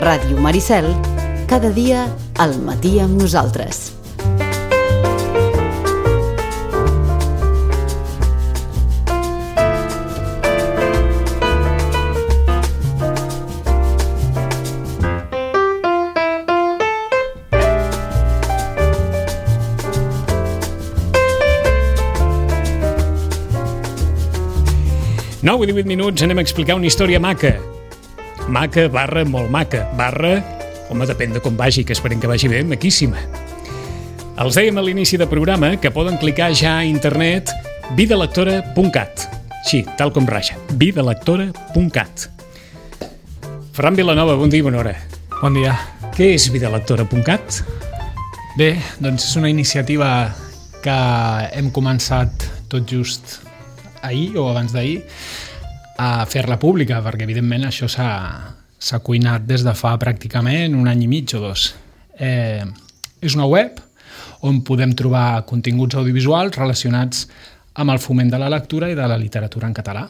Ràdio Maricel, cada dia al matí amb nosaltres. Nou i 18 minuts, anem a explicar una història maca. Maca barra molt maca, barra, home, depèn de com vagi, que esperem que vagi bé, maquíssima. Els dèiem a l'inici del programa que poden clicar ja a internet vidalectora.cat. Sí, tal com raja, vidalectora.cat. Ferran Vilanova, bon dia i bona hora. Bon dia. Què és vidalectora.cat? Bé, doncs és una iniciativa que hem començat tot just ahir o abans d'ahir a fer-la pública, perquè evidentment això s'ha cuinat des de fa pràcticament un any i mig o dos. És una web on podem trobar continguts audiovisuals relacionats amb el foment de la lectura i de la literatura en català.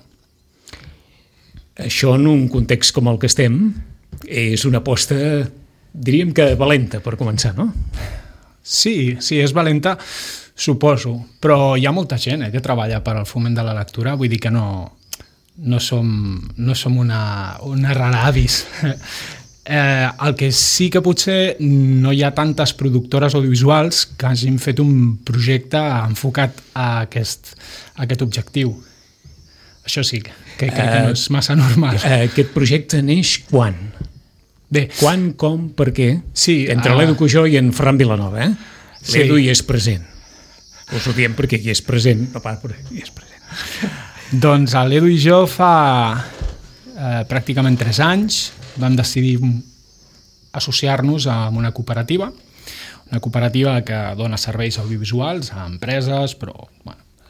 Això en un context com el que estem és una aposta, diríem que valenta per començar, no? Sí, és valenta, suposo, però hi ha molta gent que treballa per al foment de la lectura, vull dir que no som una rara avis. El que sí que potser no hi ha tantes productores audiovisuals que hagin fet un projecte enfocat a aquest objectiu. Això sí, que no és massa normal. Aquest projecte neix quan? Bé, quan, com, per què? Sí, entre l'Edu Cujó i en Ferran Vilanova, Sí. L'Edu hi és present. Us ho diem perquè hi és present. No, però hi és present. Doncs l'Edu i jo fa pràcticament 3 anys vam decidir associar-nos amb una cooperativa que dona serveis audiovisuals a empreses,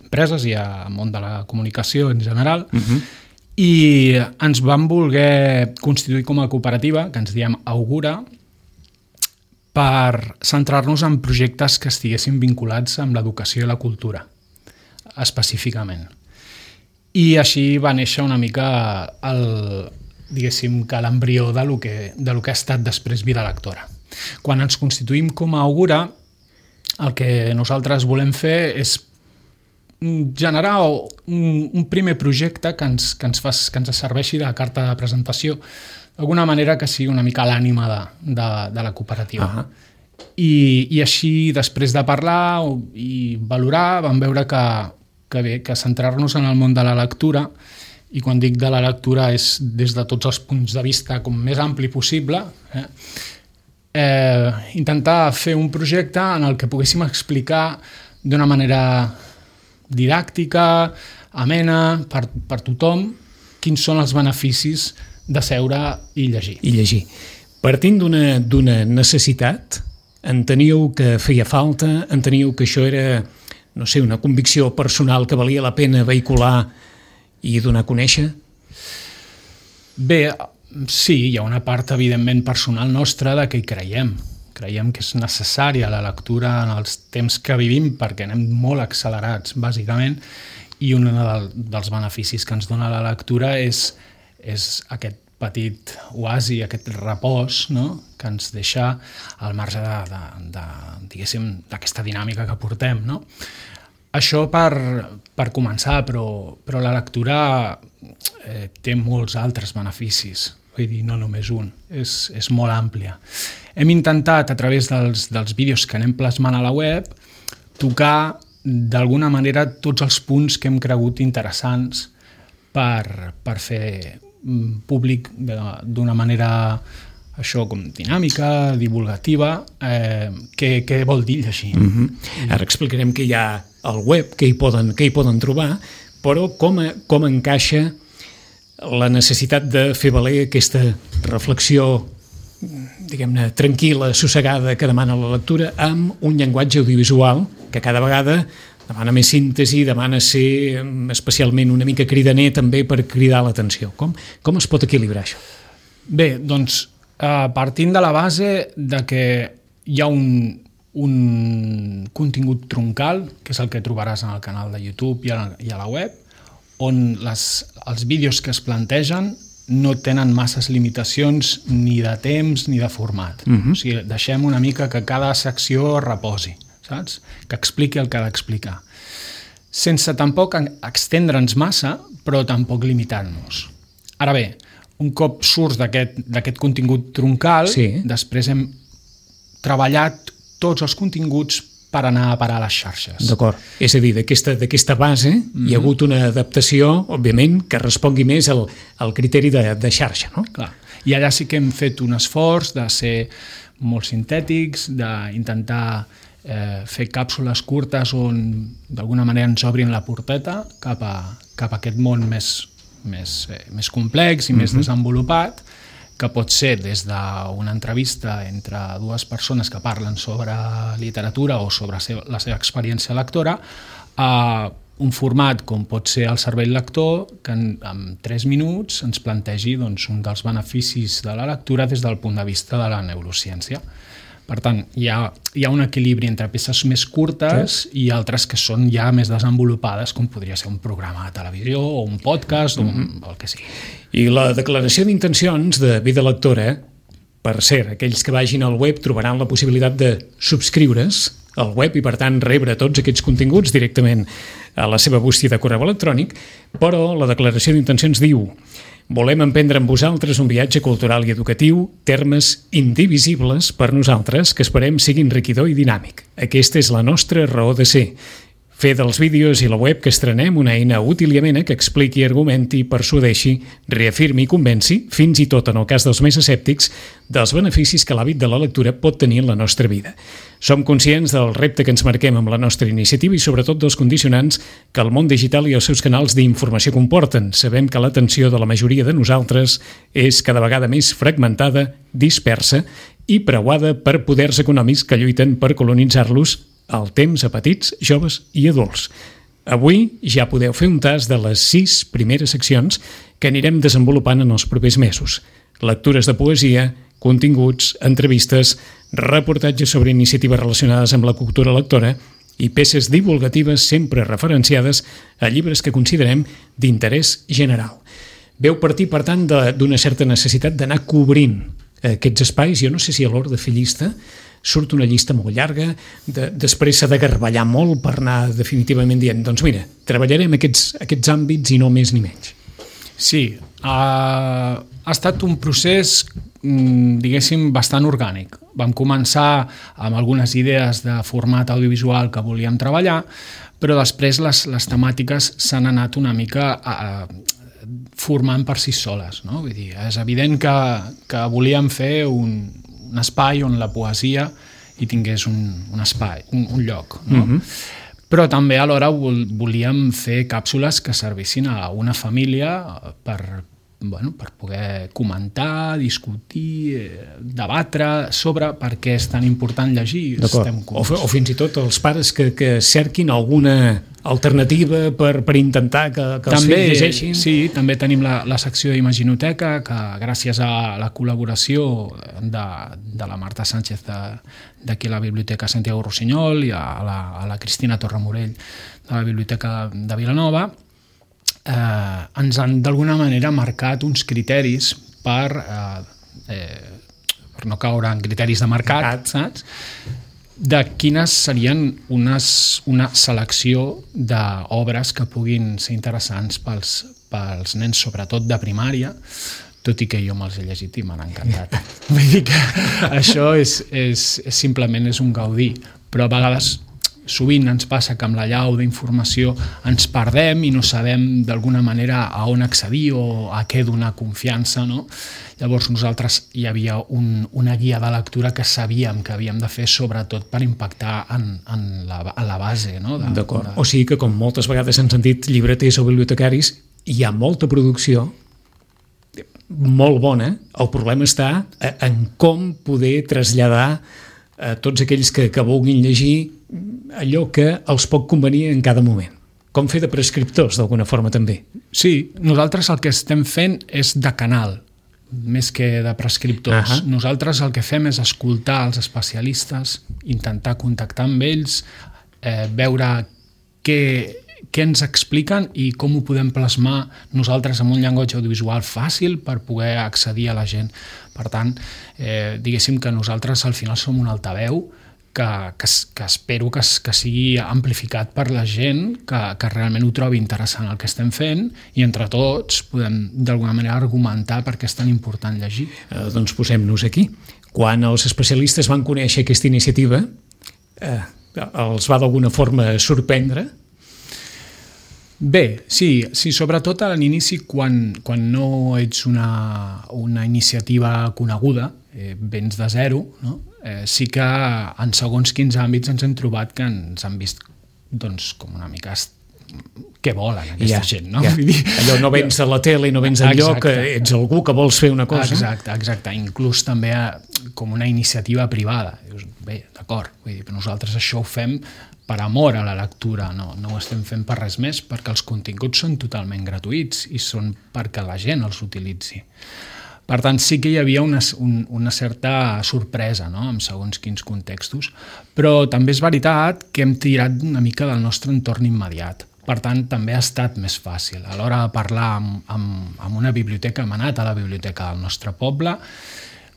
empreses i al món de la comunicació en general, i ens vam voler constituir com a cooperativa, que ens diem Augura, per centrar-nos en projectes que estiguessin vinculats amb l'educació i la cultura, específicament. I així va néixer una mica l'embrió de lo que ha estat després Vida Lectora. Quan ens constituïm com a Augura, el que nosaltres volem fer és generar un primer projecte que ens serveixi de carta de presentació, d'alguna manera que sigui una mica l'ànima de la cooperativa. I així, després de parlar i valorar, vam veure que centrar-nos en el món de la lectura, i quan dic de la lectura és des de tots els punts de vista com més ampli possible, intentar fer un projecte en el que poguéssim explicar d'una manera didàctica, amena, per tothom, quins són els beneficis de seure i llegir. Partint d'una necessitat, enteníeu que feia falta, enteníeu que això era, no sé, una convicció personal que valia la pena vehicular i donar a conèixer? Bé, sí, hi ha una part evidentment personal nostra de que hi creiem. Creiem que és necessària la lectura en els temps que vivim perquè anem molt accelerats, bàsicament, i un dels beneficis que ens dona la lectura és aquest petit oasi, aquest repòs, no?, que ens deixa al marge d'aquesta dinàmica que portem, no? Això per començar, però la lectura té molts altres beneficis, vull dir, no només un, és molt àmplia. Hem intentat, a través dels vídeos que anem plasmant a la web, tocar d'alguna manera tots els punts que hem cregut interessants per fer públic d'una manera, això, com dinàmica, divulgativa, què vol dir llegir. Ara explicarem què hi ha al web, què hi poden trobar, però com encaixa la necessitat de fer valer aquesta reflexió, diguem-ne, tranquil·la, assossegada, que demana la lectura, amb un llenguatge audiovisual que cada vegada demana més síntesi, demana ser especialment una mica cridaner també per cridar l'atenció. Com es pot equilibrar això? Bé, doncs, partint de la base de que hi ha un contingut troncal, que és el que trobaràs en el canal de YouTube i a la web, on els vídeos que es plantegen no tenen masses limitacions ni de temps ni de format. O sigui, deixem una mica que cada secció reposi, saps? Que expliqui el que ha d'explicar. Sense tampoc extendre'ns massa, però tampoc limitant-nos. Ara bé, un cop surts d'aquest contingut troncal, després hem treballat tots els continguts per anar a parar a les xarxes. D'acord. És a dir, d'aquesta base hi ha hagut una adaptació, òbviament, que respongui més al criteri de xarxa, no? Clar. I allà sí que hem fet un esforç de ser molt sintètics, d'intentar fer càpsules curtes on d'alguna manera ens obrin la porteta cap a aquest món més complex i més desenvolupat, que pot ser des d'una entrevista entre dues persones que parlen sobre literatura o sobre la seva experiència lectora, a un format com pot ser el cervell lector, que en 3 minuts ens plantegi un dels beneficis de la lectura des del punt de vista de la neurociència. Per tant, hi ha un equilibri entre peces més curtes i altres que són ja més desenvolupades, com podria ser un programa de televisió o un podcast o el que sigui. I la declaració d'intencions de Vida Lectora, per cert, aquells que vagin al web trobaran la possibilitat de subscriure's al web i, per tant, rebre tots aquests continguts directament a la seva bústia de correu electrònic, però la declaració d'intencions diu: volem emprendre amb vosaltres un viatge cultural i educatiu, termes indivisibles per nosaltres que esperem sigui enriquidor i dinàmic. Aquesta és la nostra raó de ser. Fer dels vídeos i la web que estrenem una eina útil i amena que expliqui, argumenti, persuadeixi, reafirmi i convenci, fins i tot en el cas dels més escèptics, dels beneficis que l'hàbit de la lectura pot tenir en la nostra vida. Som conscients del repte que ens marquem amb la nostra iniciativa i sobretot dels condicionants que el món digital i els seus canals d'informació comporten. Sabem que l'atenció de la majoria de nosaltres és cada vegada més fragmentada, dispersa i preuada per poders econòmics que lluiten per colonitzar-los el temps a petits, joves i adults. Avui ja podeu fer un tast de les 6 primeres seccions que anirem desenvolupant en els propers mesos. Lectures de poesia, continguts, entrevistes, reportatges sobre iniciatives relacionades amb la cultura lectora i peces divulgatives sempre referenciades a llibres que considerem d'interès general. Veu partir, per tant, d'una certa necessitat d'anar cobrint aquests espais. Jo no sé si a l'hora de fer llista surt una llista molt llarga, després s'ha de garballar molt per anar definitivament dient, doncs mira, treballarem aquests àmbits i no més ni menys. Sí, ha estat un procés, diguéssim, bastant orgànic. Vam començar amb algunes idees de format audiovisual que volíem treballar, però després les temàtiques s'han anat una mica formant per si soles, no? Vull dir, és evident que volíem fer un espai on la poesia hi tingués un espai, un lloc, no? Però també alhora volíem fer càpsules que servissin a una família per poder comentar, discutir, debatre sobre per què és tan important llegir. O fins i tot els pares que cerquin alguna alternativa per intentar que els fills llegeixin. Sí, també tenim la secció d'Imaginoteca, que gràcies a la col·laboració de la Marta Sánchez d'aquí a la Biblioteca Santiago Rossinyol i a la Cristina Torremorell de la Biblioteca de Vilanova, ens han d'alguna manera marcat uns criteris per no caure en criteris de mercat, saps? De quines serien una selecció d'obres que puguin ser interessants pels nens, sobretot de primària, tot i que jo me'ls he llegit i m'han encantat. Vull dir que això simplement és un gaudir, però a vegades sovint ens passa que amb la llau d'informació ens perdem i no sabem d'alguna manera a on accedir o a què donar confiança, no? Llavors nosaltres hi havia una guia de lectura que sabíem que havíem de fer sobretot per impactar a la base, no? D'acord. O sigui que, com moltes vegades hem sentit llibreters o bibliotecaris, hi ha molta producció molt bona. El problema està en com poder traslladar a tots aquells que vulguin llegir allò que els pot convenir en cada moment. Com fer de prescriptors, d'alguna forma, també. Sí, nosaltres el que estem fent és de canal, més que de prescriptors. Nosaltres el que fem és escoltar els especialistes, intentar contactar amb ells, veure què ens expliquen i com ho podem plasmar nosaltres amb un llenguatge audiovisual fàcil per poder accedir a la gent. Per tant, diguéssim que nosaltres al final som un altaveu que espero que sigui amplificat per la gent, que realment ho trobi interessant el que estem fent i entre tots podem d'alguna manera argumentar per què és tan important llegir. Doncs posem-nos aquí. Quan els especialistes van conèixer aquesta iniciativa, els va d'alguna forma sorprendre? Bé, sí, sobretot a l'inici quan no ets una iniciativa coneguda, vens de zero, no? Sí que en segons quins àmbits ens hem trobat que ens han vist doncs, com una mica què volen aquesta gent, no? Allò no vens a la tele, no vens enlloc, ets algú que vols fer una cosa. Exacte. Inclús també com una iniciativa privada. Dius, bé, d'acord, però nosaltres això ho fem per amor a la lectura, no ho estem fent per res més, perquè els continguts són totalment gratuïts i són perquè la gent els utilitzi. Per tant, sí que hi havia una certa sorpresa, no?, en segons quins contextos, però també és veritat que hem tirat una mica del nostre entorn immediat. Per tant, també ha estat més fàcil. A l'hora de parlar amb una biblioteca, hem anat a la biblioteca del nostre poble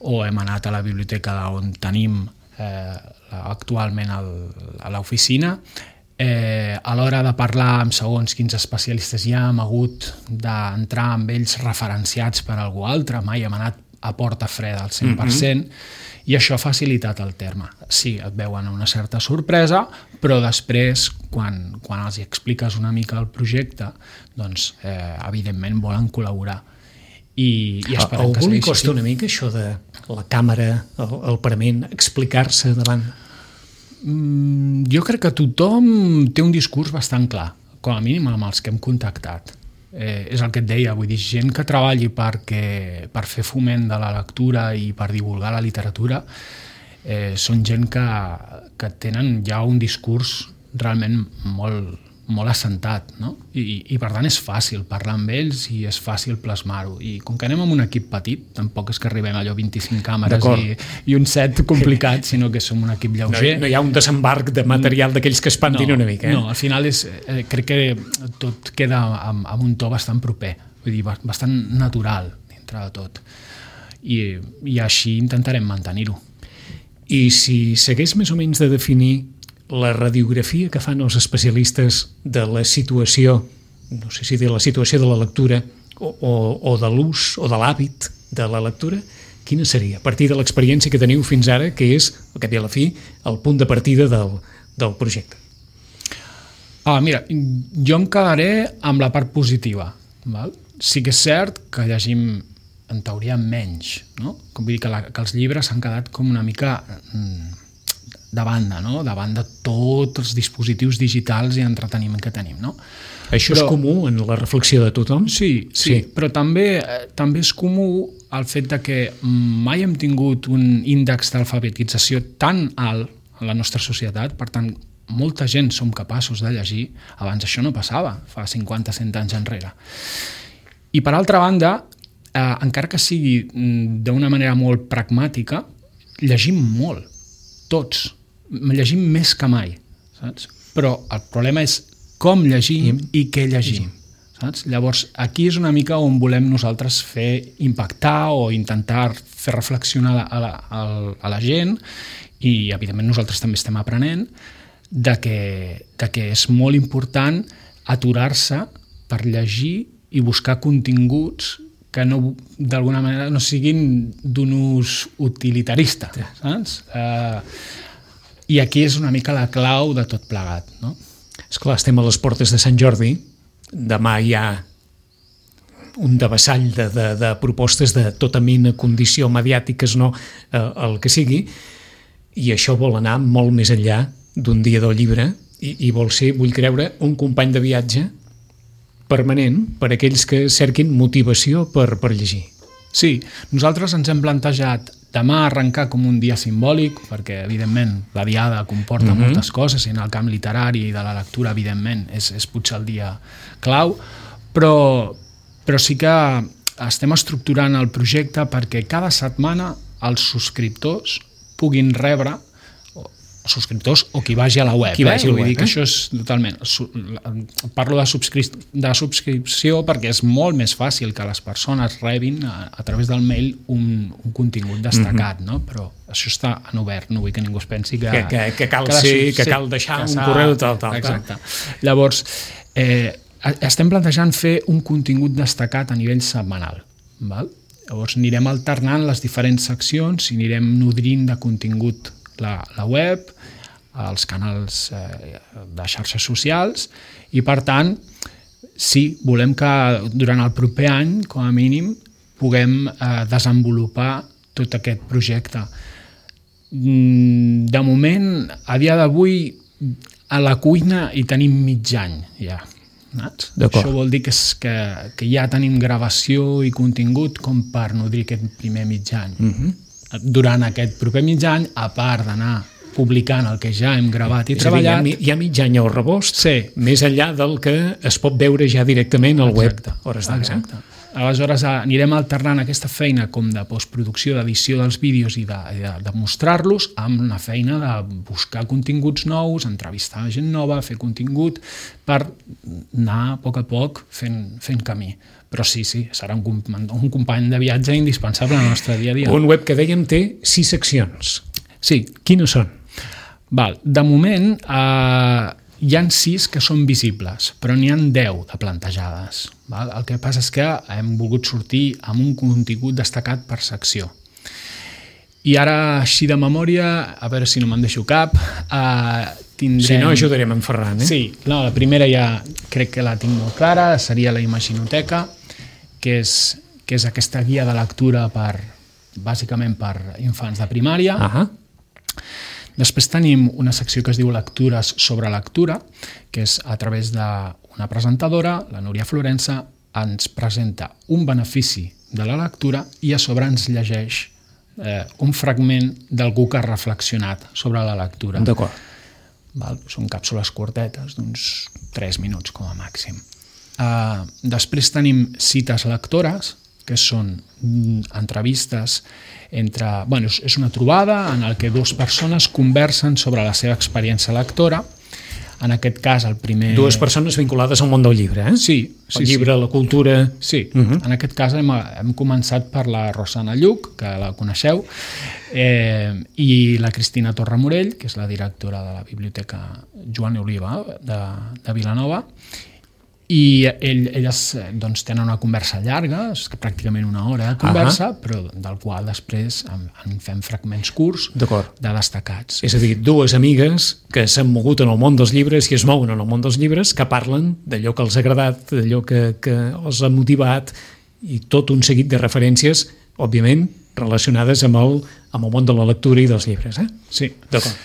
o hem anat a la biblioteca on tenim actualment a l'oficina. A l'hora de parlar amb segons quins especialistes ja hem hagut d'entrar amb ells referenciats per algú altre, mai hem anat a porta freda al 100%, i això ha facilitat el terme. Sí, et veuen una certa sorpresa, però després, quan els expliques una mica el projecte, doncs, evidentment volen col·laborar. I esperem que algú li segueixi costa així. una mica això de la càmera, el parament, explicar-se davant? Jo crec que tothom té un discurs bastant clar, com a mínim amb els que hem contactat. És el que et deia, vull dir, gent que treballi per fer foment de la lectura i per divulgar la literatura, són gent que tenen ja un discurs realment molt assentat, no? I per tant és fàcil parlar amb ells i és fàcil plasmar-ho. I com que anem amb un equip petit, tampoc és que arribem a allò 25 càmeres i un set complicat, sinó que som un equip lleuger. No hi ha un desembarc de material d'aquells que espantin una mica. No, al final crec que tot queda amb un to bastant proper, vull dir, bastant natural dintre de tot. I així intentarem mantenir-ho. I si s'hagués més o menys de definir la radiografia que fan els especialistes de la situació, no sé si de la situació de la lectura o de l'ús o de l'hàbit de la lectura, quina seria? A partir de l'experiència que teniu fins ara, que és, al cap i a la fi, el punt de partida del projecte. Mira, jo em quedaré amb la part positiva. Val? Sí que és cert que llegim en teoria menys, no? Com vull dir que els llibres s'han quedat com una mica de banda, no? Davant de tots els dispositius digitals i entreteniment que tenim, no? Això és comú en la reflexió de tothom? Sí, però també és comú el fet de que mai hem tingut un índex d'alfabetització tan alt en la nostra societat, per tant, molta gent som capaços de llegir, abans això no passava, fa 50-100 anys enrere. I per altra banda, encara que sigui d'una manera molt pragmàtica, llegim molt, tots. Llegim més que mai, saps? Però el problema és com llegim i què llegim, saps? Llavors, aquí és una mica on volem nosaltres fer impactar o intentar fer reflexionar a la gent i, evidentment, nosaltres també estem aprenent de que és molt important aturar-se per llegir i buscar continguts que d'alguna manera no siguin d'un ús utilitarista, saps? I aquí és una mica la clau de tot plegat, no? Esclar, estem a les portes de Sant Jordi, demà hi ha un devessall de propostes de tota mena, condició, mediàtiques, no, el que sigui, i això vol anar molt més enllà d'un dia del llibre i vol ser, vull creure, un company de viatge permanent per a aquells que cerquin motivació per llegir. Sí, nosaltres ens hem plantejat demà arrencar com un dia simbòlic, perquè, evidentment, la diada comporta moltes coses, i en el camp literari i de la lectura, evidentment, és potser el dia clau, però sí que estem estructurant el projecte perquè cada setmana els subscriptors puguin rebre, o subscriptors o qui vagi a la web. Qui vagi a la Vull web, dir que això és totalment... Parlo de subscripció perquè és molt més fàcil que les persones rebin a través del mail un contingut destacat, no? Però això està en obert, no vull que ningú es pensi que cal deixar un correu tal. Exacte. Llavors, estem plantejant fer un contingut destacat a nivell setmanal, val? Llavors anirem alternant les diferents seccions i anirem nodrint de contingut la web, els canals de xarxes socials i, per tant, sí, volem que durant el proper any, com a mínim, puguem desenvolupar tot aquest projecte. De moment, a dia d'avui, a la cuina hi tenim mig any, ja. Això vol dir que ja tenim gravació i contingut com per nodrir aquest primer mig any. Durant aquest proper mig any, a part d'anar publicant el que ja hem gravat i treballat... Hi ha mig any al rebost, sí, més enllà del que es pot veure ja directament al web. Exacte. Aleshores anirem alternant aquesta feina com de postproducció, d'edició dels vídeos i de mostrar-los amb una feina de buscar continguts nous, entrevistar gent nova, fer contingut per anar a poc fent camí. Però sí, serà un company de viatge indispensable al nostre dia a dia. Un web que dèiem té 6 seccions. Sí. Quines són? De moment hi ha 6 que són visibles, però n'hi ha 10 de plantejades. El que passa és que hem volgut sortir amb un contingut destacat per secció. I ara, així de memòria, a veure si no me'n deixo cap, tindrem... Si no, ajudarem en Ferran. Sí, la primera ja crec que la tinc molt clara, seria la Imaginoteca, que és aquesta guia de lectura bàsicament per infants de primària. Després tenim una secció que es diu Lectures sobre lectura, que és a través d'una presentadora, la Núria Florença, ens presenta un benefici de la lectura i a sobre ens llegeix un fragment d'algú que ha reflexionat sobre la lectura. D'acord. Són càpsules curtetes, d'uns 3 minuts com a màxim. Després tenim cites lectores, que són entrevistes és una trobada en què 2 persones conversen sobre la seva experiència lectora. En aquest cas, el primer... 2 persones vinculades al món del llibre, eh? Sí. El llibre, la cultura... Sí. En aquest cas hem començat per la Rosana Lluc, que la coneixeu, i la Cristina Torramorell, que és la directora de la Biblioteca Joan Oliva de Vilanova, i elles tenen una conversa llarga, és pràcticament una hora de conversa, però del qual després en fem fragments curts de destacats. És a dir, 2 amigues que s'han mogut en el món dels llibres i es mouen en el món dels llibres, que parlen d'allò que els ha agradat, d'allò que els ha motivat, i tot un seguit de referències, òbviament, relacionades amb el món de la lectura i dels llibres. Sí. D'acord.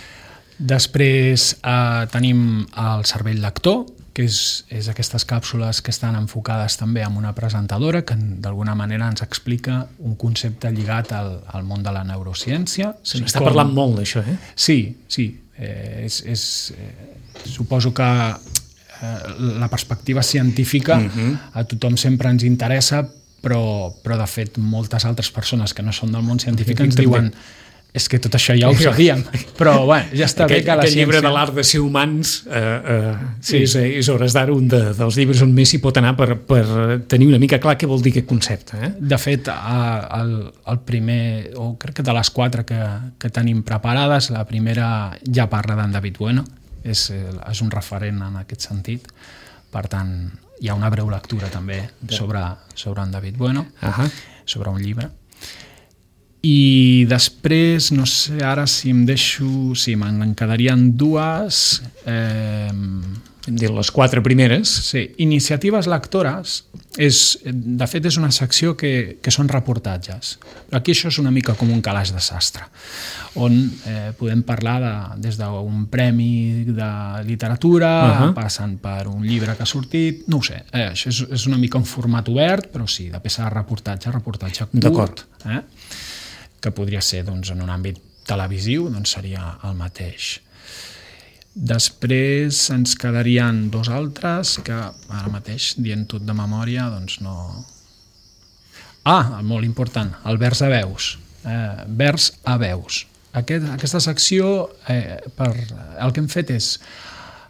Després tenim el cervell lector, que és aquestes càpsules que estan enfocades també amb una presentadora que d'alguna manera ens explica un concepte lligat al món de la neurociència. Se n'està parlant molt d'això, eh? Sí. Suposo que la perspectiva científica a tothom sempre ens interessa, però de fet moltes altres persones que no són del món científic ens diuen és que tot això ja ho sabíem, però ja està bé que la ciència... Aquest llibre de l'art de ser humans és hores d'ara un dels llibres on més s'hi pot anar per tenir una mica clar què vol dir aquest concepte. De fet, el primer, o crec que de les 4 que tenim preparades, la primera ja parla d'en David Bueno, és un referent en aquest sentit, per tant hi ha una breu lectura també sobre en David Bueno, sobre un llibre. I després, no sé, ara si em deixo... Sí, me'n quedarien 2. Hem dit les 4 primeres. Sí, iniciatives lectores, de fet és una secció que són reportatges. Però aquí això és una mica com un calaix de sastre, on podem parlar des d'un premi de literatura, passant per un llibre que ha sortit, no ho sé, això és una mica un format obert, però sí, de peça de reportatge curt, que podria ser en un àmbit televisiu, seria el mateix. Després ens quedarien 2 altres que ara mateix, dient tot de memòria, no... Molt important, el vers a veus. Vers a veus. aquesta secció, el que hem fet és,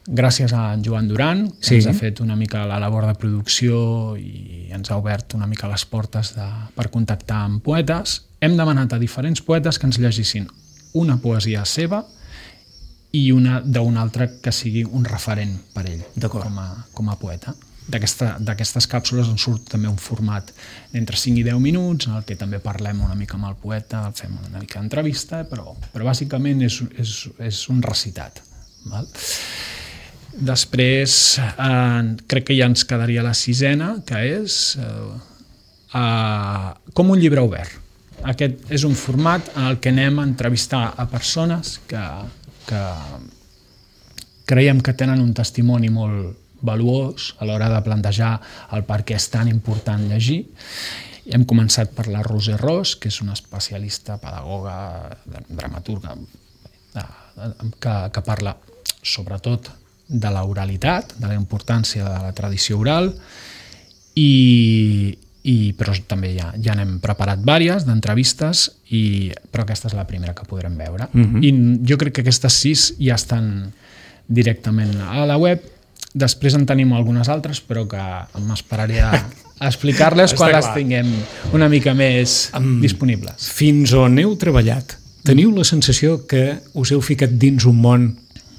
gràcies a en Joan Duran, que ens ha fet una mica la labor de producció i ens ha obert una mica les portes per contactar amb poetes, hem demanat a diferents poetes que ens llegissin una poesia seva i una d'un altre que sigui un referent per ell com a poeta. D'aquestes càpsules en surt també un format entre 5 i 10 minuts en el que també parlem una mica amb el poeta, fem una mica d'entrevista, però bàsicament és un recitat. Val? Després crec que ja ens quedaria la 6ena, que és com un llibre obert. Aquest és un format en el que anem a entrevistar a persones que creiem que tenen un testimoni molt valuós a l'hora de plantejar el per què és tan important llegir. Hem començat per la Roser Ros, que és una especialista, pedagoga, dramaturga, que parla sobretot de l'oralitat, de la importància de la tradició oral, però també ja n'hem preparat diverses d'entrevistes, però aquesta és la primera que podrem veure. I jo crec que aquestes 6 ja estan directament a la web. Després en tenim algunes altres, però que m'esperaré a explicar-les quan les tinguem una mica més disponibles. Fins on heu treballat, teniu la sensació que us heu ficat dins un món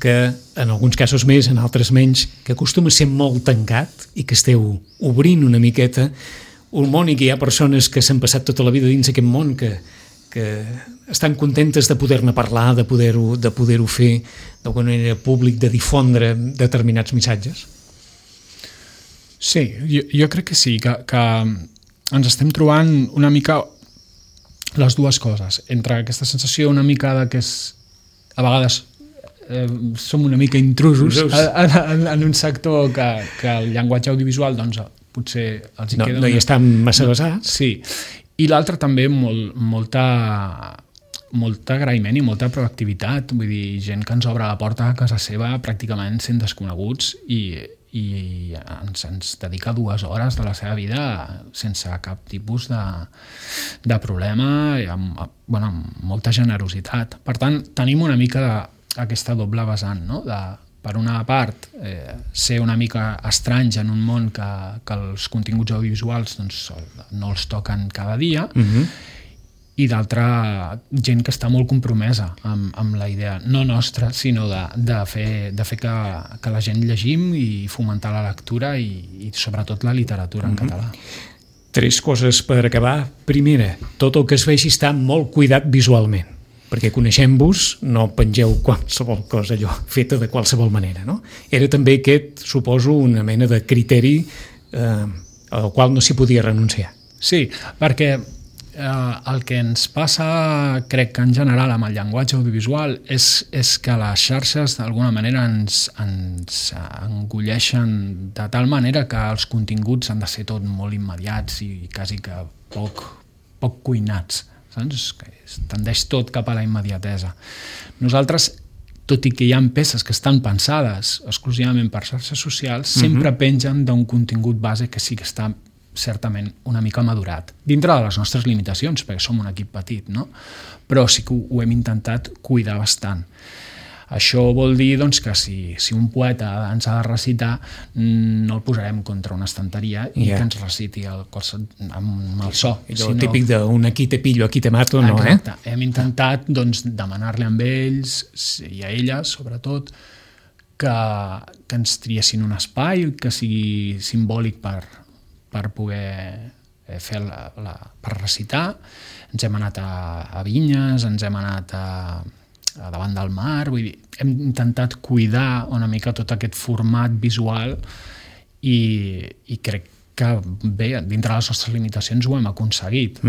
que, en alguns casos més, en altres menys, que acostuma a ser molt tancat i que esteu obrint una miqueta un món i que hi ha persones que s'han passat tota la vida dins aquest món que estan contentes de poder-ne parlar, de poder-ho fer d'alguna manera públic, de difondre determinats missatges? Sí, jo crec que sí, que ens estem trobant una mica les dues coses, entre aquesta sensació una mica de que a vegades som una mica intrusos en un sector que el llenguatge audiovisual doncs, potser els hi queda... No hi estan massa basats. Sí, i l'altre també molt agraïment i molta proactivitat, vull dir, gent que ens obre la porta a casa seva pràcticament sent desconeguts i ens dedica 2 hores de la seva vida sense cap tipus de problema i amb molta generositat. Per tant, tenim una mica aquesta doble vessant, no? Per una part, ser una mica estranys en un món que els continguts audiovisuals doncs, no els toquen cada dia, i d'altra, gent que està molt compromesa amb la idea, no nostra, sinó de fer que la gent llegim i fomentar la lectura i sobretot la literatura en català. 3 coses per acabar. Primera, tot el que es vegi està molt cuidat visualment, perquè coneixem-vos, no pengeu qualsevol cosa allò feta de qualsevol manera, no? Era també aquest, suposo, una mena de criteri al qual no s'hi podia renunciar. Sí, perquè el que ens passa, crec que en general amb el llenguatge audiovisual és que les xarxes d'alguna manera ens engolleixen de tal manera que els continguts han de ser tot molt immediats i quasi que poc cuinats, saps? Que tendeix tot cap a la immediatesa. Nosaltres, tot i que hi ha peces que estan pensades exclusivament per xarxes socials, sempre pengen d'un contingut base que sí que està certament una mica madurat, dintre de les nostres limitacions, perquè som un equip petit, no? Però sí que ho hem intentat cuidar bastant. Això vol dir doncs, que si un poeta ens ha de recitar, no el posarem contra una estanteria i que ens reciti amb el so. Allò típic d'un aquí te pillo, aquí te mato, no? Exacte. Hem intentat doncs, demanar-li amb ells, i a elles sobretot, que ens triessin un espai que sigui simbòlic per poder fer per recitar. Ens hem anat a vinyes, ens hem anat a davant del mar, vull dir, hem intentat cuidar una mica tot aquest format visual i crec que bé, dintre de les nostres limitacions ho hem aconseguit.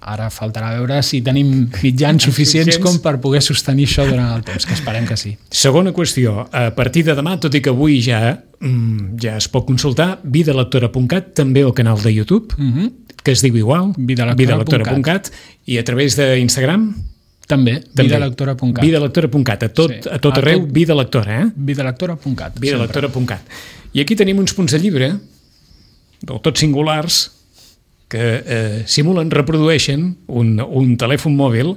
Ara faltarà veure si tenim mitjans suficients com per poder sostenir això durant el temps, que esperem que sí. Segona qüestió, a partir de demà, tot i que avui ja es pot consultar, vidalectora.cat, també al canal de YouTube, que es diu igual, vidalectora.cat, i a través d'Instagram també, vidalectora.cat. Vidalectora.cat, a tot arreu, Vida Lectora, Vidalectora.cat. Vidalectora.cat. I aquí tenim uns punts de llibre, del tot singulars, que simulen, reprodueixen un telèfon mòbil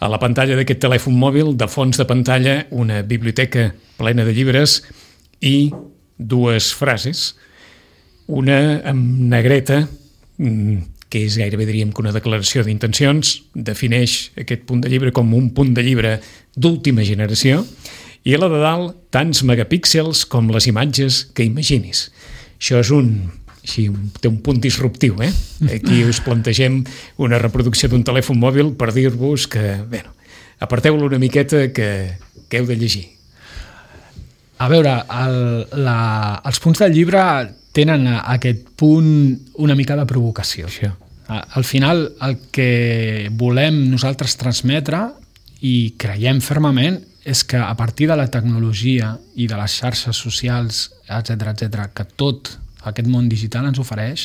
a la pantalla d'aquest telèfon mòbil, de fons de pantalla, una biblioteca plena de llibres i dues frases. Una amb negreta, que és gairebé, diríem, que una declaració d'intencions, defineix aquest punt de llibre com un punt de llibre d'última generació, i a la de dalt, tants megapíxels com les imatges que imaginis. Això és té un punt disruptiu, eh? Aquí us plantegem una reproducció d'un telèfon mòbil per dir-vos que, bé, aparteu-lo una miqueta que heu de llegir. A veure, els punts del llibre tenen aquest punt una mica de provocació. Això. Al final, el que volem nosaltres transmetre i creiem fermament és que a partir de la tecnologia i de les xarxes socials, etc, que tot aquest món digital ens ofereix,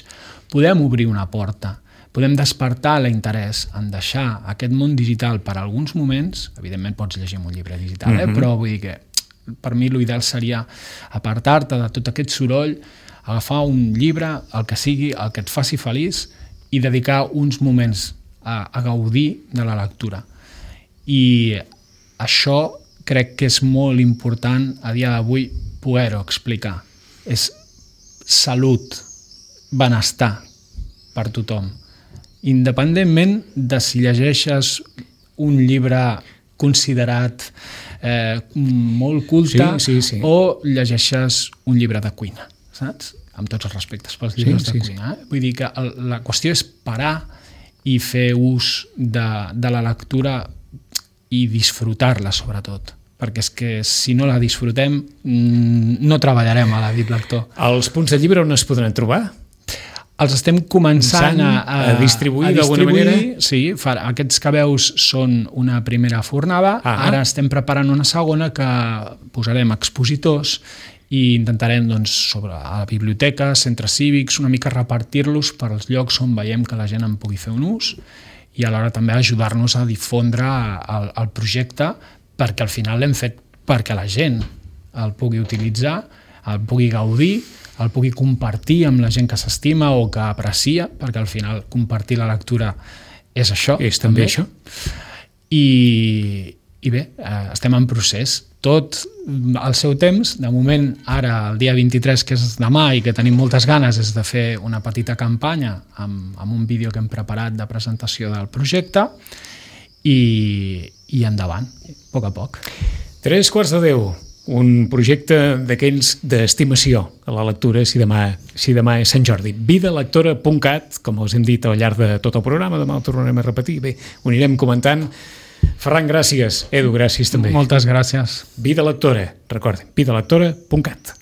podem obrir una porta, podem despertar l'interès en deixar aquest món digital per alguns moments. Evidentment pots llegir un llibre digital, però vull dir que per mi l'ideal seria apartar-te de tot aquest soroll, agafar un llibre, el que sigui, el que et faci feliç, i dedicar uns moments a gaudir de la lectura. I això crec que és molt important a dia d'avui poder-ho explicar. És salut, benestar per tothom. Independentment de si llegeixes un llibre considerat molt culte sí. o llegeixes un llibre de cuina, saps? Amb tots els respectes pels llibres de cuina. Vull dir que la qüestió és parar i fer ús de la lectura i disfrutar-la, sobretot. Perquè és que si no la disfrutem no treballarem a la Dit Lector. Els punts de llibre on es podran trobar? Els estem començant a distribuir d'alguna manera? Sí, aquests que veus són una primera fornada. Ara estem preparant una segona que posarem expositors i intentarem, sobre a la biblioteca, centres cívics, una mica repartir-los per als llocs on veiem que la gent en pugui fer un ús i alhora també ajudar-nos a difondre el projecte, perquè al final l'hem fet perquè la gent el pugui utilitzar, el pugui gaudir, el pugui compartir amb la gent que s'estima o que aprecia, perquè al final compartir la lectura és això. És també això. I bé, estem en procés. Tot al seu temps. De moment, ara, el dia 23, que és demà i que tenim moltes ganes, és de fer una petita campanya amb un vídeo que hem preparat de presentació del projecte i endavant, a poc a poc. 3:45. Un projecte d'aquells d'estimació a la lectura, si demà és Sant Jordi. Vidalectora.cat, com us hem dit al llarg de tot el programa, demà ho tornarem a repetir. Bé, ho anirem comentant. Ferran, gràcies. Edu, gràcies també. Moltes gràcies. Vida Lectora, recordin, vidalectora.cat.